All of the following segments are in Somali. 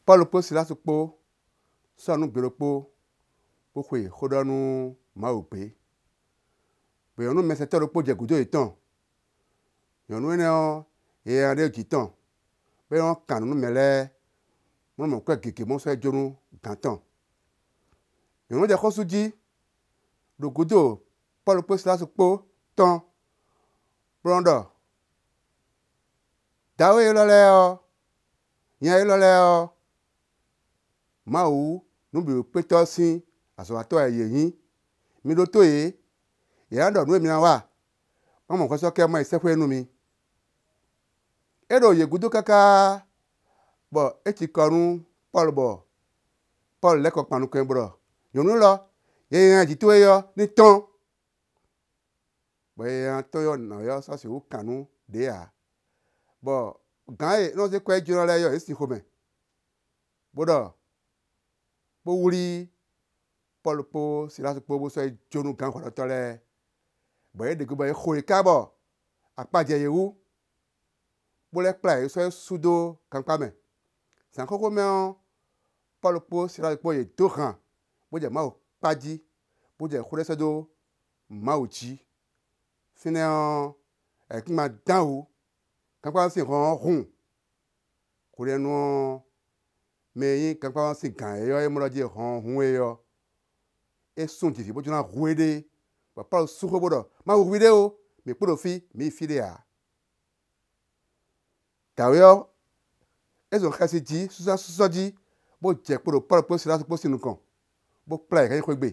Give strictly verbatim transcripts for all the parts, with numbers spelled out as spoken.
Pɔ́lu kpó Silási kpó sɔ́ nǔ gbe ɖokpó bó xwe xó ɖɔ nú Mawu gbé. Bɔ nyɔ̌nu mɛsɛntɔ́ ɖokpó jɛ gǔdo yětɔn. Nyɔ̌nu énɛ́ ɔ́, yɛ nyanya ɖé ɖo jǐ tɔn, bɔ é nɔ́ kan nǔ nú mɛ lɛ́ɛ, bó nɔ́ mɔ kwɛ́ gěgé bó nɔ́ sɔ́ yi jó nú gǎn tɔn. Nyɔ̌nu ɔ́ jɛ xó sú jí ɖo gǔdo Pɔ́lu kpó Silási kpó tɔn, bó nɔ́ ɖɔ: “Dǎwe élɔ́ lɛ́ɛ ɔ́, nya élɔ́ lɛ́ɛ ɔ́, Mawu nǔbǐwúkpétɔ́ ɔ́ sín azɔ̌watɔ́ wɛ yě nyí. Mi ɖótó yě, yě ná ɖɔ nǔ e mi ná wa, bó ná mɔ hwɛ sɔ́ kɛ bó ná yi sɛ́xwé é nú mi.” É ɖo yě gúdo káká bɔ é cikɔ nú Pɔ́lu bɔ Pɔ́lu lɛ́ kɔ kpan nukɔn ɛ bo ɖɔ: “Nyɔ̌nu élɔ́, yɛ nyanya e ɖo jǐ towe é ɔ́ ní tɔ́n.” Bɔ yɛ nyanya tɔ́n ɔ́, nǎwe ɔ́ sɔ́ sixú kan nǔ ɖě ǎ. Bɔ gǎn e é nɔ zé kwɛ́ yi jó ná lɛ́ɛ ɔ́, yě sin xomɛ, bó ɖɔ, bó wlí Pɔ́lu kpó Silási kpó bó sɔ́ yi jó nú gǎn hwɛɖɔtɔ́ lɛ́ɛ. Bɔ yě ɖe gbe bɔ yě xo yě káká bɔ akpa jɛ yě wú, bó lɛ́ kplá yě sɔ́ yi sú dó gankpá mɛ. Zǎn xóxó mɛ ɔ́, Pɔ́lu kpó Silási kpó yě dó han, bó jɛ Mawu kpa jí, bó jɛ xó ɖɔ sɛ́ dó Mawu jí. Fínɛ́ ɔ́, ayǐkúngban dán wǔ, gankpá ɔ́ sín hɔn ɔ́ hun. Hwenɛ́nu ɔ́, mɛ e nyí gankpá ɔ́ sín gǎn é ɔ́, ée mɔ ɖɔ jílé hɔn ɔ́ hun é ɔ́, é sún jivǐ bó jló ná hu éɖée. Bɔ Pɔ́lu sú xó bó ɖɔ: “Ma hu hwiɖée ó, mǐ kpo ɖo fí, mǐ yi fí ɖé ǎ.” Dǎwe ɔ́, é zɔn xɛsi jí, sísɔ́sísɔ́ jí, bó jɛ kpo ɖo Pɔ́lu kpó Silási kpó sín nukɔn, bó kplá yě hɛn yi xwé gbe,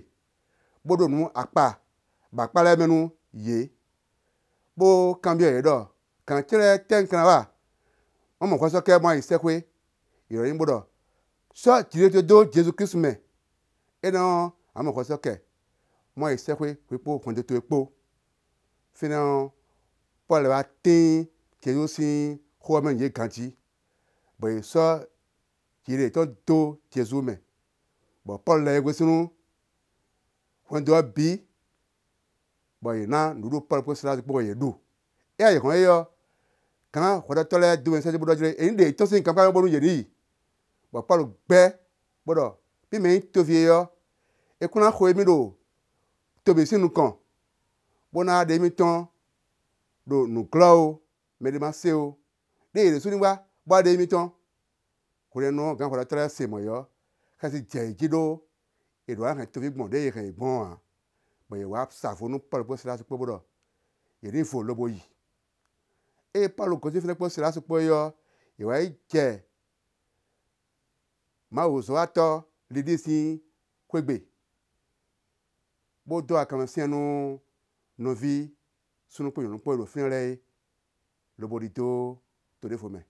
bó ɖó nǔ akpa bɔ akpá lɛ́ɛ mɛ nú yě, bó kanbyɔ́ yě ɖɔ: “Gǎn ce lɛ́ɛ, étɛ́ un ka ná wa bó ná mɔ hwɛ sɔ́ kɛ bó ná yi sɛ́xwé?” Yě ɖɔ n'i bó ɖɔ: “Sɔ́ jiɖiɖe towe dó Jezu Klísu mɛ, énɛ́ ɔ́, a nǎ mɔ hwɛ sɔ́ kɛ bó ná yi sɛ́xwé hwi kpó hwɛndo towe kpó.” Fínɛ́ ɔ́, Pɔ́lu lɛ́ wá tín Jezu sín xó ɔ́ mɛ nú yě ganjí, bɔ yě sɔ́ jiɖiɖe yětɔn dó Jezu mɛ. Bɔ Pɔ́lu lɛ yɛhwesin nú hwɛndo ɔ́ bǐ, bɔ yě ná nǔɖuɖu Pɔ́lu kpó Silási kpó bɔ yě ɖu. Ée ayǐ hɔ́n é ɔ́, gǎn hwɛɖɔtɔ́ lɛ́ɛ dó mɛ sɛ́ dó bó ɖɔ jílé è ní ɖe yě tɔ́n sín gankpá mɛ bónú yě ní yi. Bɔ Pɔ́lu gbɛ́ bó ɖɔ: “Mí mɛ nyí toví é ɔ́, è kún ná xo émí ɖo to bǐ sín nukɔn, bó ná wá ɖe émí tɔ́n ɖo nǔglɔ́ ó, mɛɖé má se ó. Ɖó yě ɖésú ní wá, bó wá ɖe émí tɔ́n.” Hwenɛ́nu ɔ́, gǎn hwɛɖɔtɔ́ lɛ́ɛ se mɔ̌ é ɔ́, xɛsi jɛ yě jí ɖó yě ɖó ná hɛn toví gbɔn ɖě è hɛn yě gbɔn ɔ́ ǎ. Bɔ yě wá sa vo nú Pɔ́lu kpó Silási kpó bó ɖɔ yě ní vo lobo yi. Ée Pɔ́lu gosín fínɛ́ kpó Silási kpó é ɔ́, yě wá yi jɛ Mawuzɔ́watɔ́ Lidi sín xwé gbe, bó dó akanmɛ syɛ́n nú nɔví súnnu kpó nyɔ̌nu kpó e ɖo fínɛ́ lɛ́ɛ é, lobo ɖidó to ɖěvo mɛ.